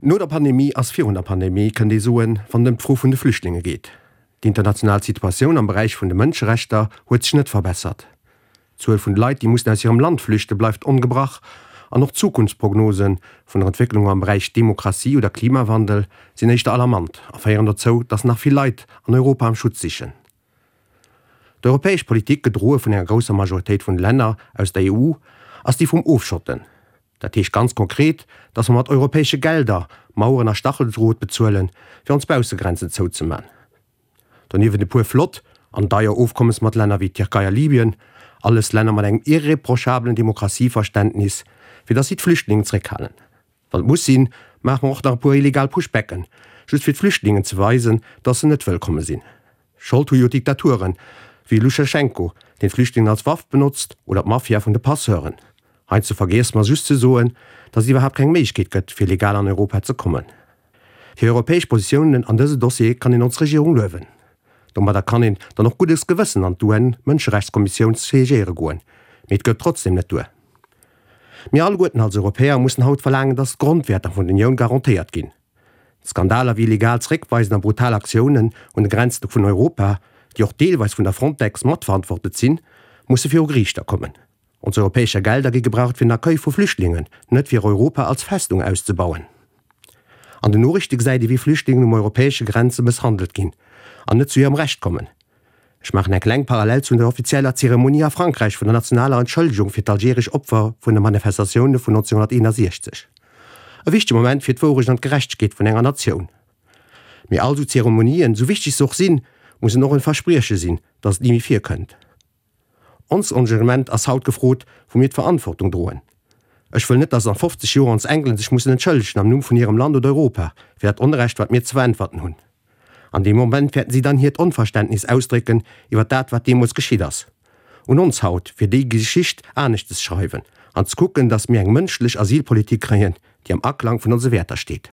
No der Pandemie ass virun der Pandemie, kënnt ee soen, wann et ëm d'Fro vun de Flüchtlinge geet. D'international Situatioun am Beräich vun de Mënscherechter huet sech net verbessert. D'Zuel vun de Leit, déi mussen aus hirem Land flüchten, bleift ongebrach an och d'Zukunftsprognose vun der Entwécklung am Beräich Demokratie oder Klimawandel sinn éischter alarmant a féieren dozou, datt nach vill Leit an Europa am Schutz sichen. D'europäesch Politik, gedroe vun enger grousser Majoritéit vun de Länner aus der EU, ass déi vum Ofschotten. Dat heescht ganz konkret, datt mer mat europäesche Gelder Maueren a Stacheldrot bezuelen, fir ons Baussegrenzen zouzeman. Doniewent e puer flott an deier Ofkommes mat Länner wéi d'Tierkei a Libyen, alles Länner mat engem irreprochabelen Demokratieverständnis, fir datt si d'Flüchtlingen zréckhalen. Wann et muss sinn, maache mer och nach e puer illegal Pushbacken, just fir d'Flüchtlingen ze weisen, datt se net wëllkomme sinn. Schold hu jo Diktaturen, wéi Luchaschenko, deen d'Flüchtlingen als Waff benotzt, oder d'Mafia vun de Passeuren. Heiansdo vergiesse mer just ze soen, datt et iwwerhaapt keng Méiglechkeet gëtt, fir legal an Europa ze kommen. Fir europäesch Positiounen an dëse Dossier kann een ons Regierung luewen. Domadder kann een dann och guddes Gewëssen an d'UN-Mënscherechtskommissioun siégéiere goen. Mee et gëtt trotzdem net duer. Mir alleguerten als Europäer mussen haut verlaangen, dass d'Grondwäerter vun der Unioun garantéiert ginn. Skandaler wéi illegal Zréckweisen a brutal Aktiounen un de Grenzen vun Europa, déi och deelweis vun der Frontex matverantwortet sinn, musse viru Geriichter kommen. Ons europäescher Gelder gi gebraucht fir den Accueil vu Flüchtlingen, net fir Europa als Festung auszebauen. An den Noriichte gesäit ee wéi Flüchtlingen um europäesche Grenze mësshandelt ginn an net zu hirem Recht kommen. Ech maachen eng kleng Parallel zu der offizieller Zeremonie a Frankräich vun der nationaler Entschëllegung fir d'algeresch Opfer vun de Manifestatioune vun 1961. E wichtege Moment fir d'Wourecht an d'Gerechtegkeet vun enger Natioun. Mee all sou Zeremonien, sou wichteg se och sinn, mussen och en Versprieche sinn, datt et ni méi virkënnt. Ons Engagement ass haut gefrot, wou mir d'Verantwortung droen. Ech wëll net, dass an 50 Joer ons Enkelen sech mussen entschëllegen am Numm vun hirem Land oder Europa fir dat Onrecht, wat mir ze veräntwerten hunn. An deem Moment wäerten si dann hiert Onverständnis ausdrécken iwwer dat, wat deemools geschitt ass. Un ons haut, fir déi Geschicht aneschtes schreiwen an ze kucken, dass mir eng mënschlech Asylpolitik kréien, déi am Aklang vun onse Wäerter steet.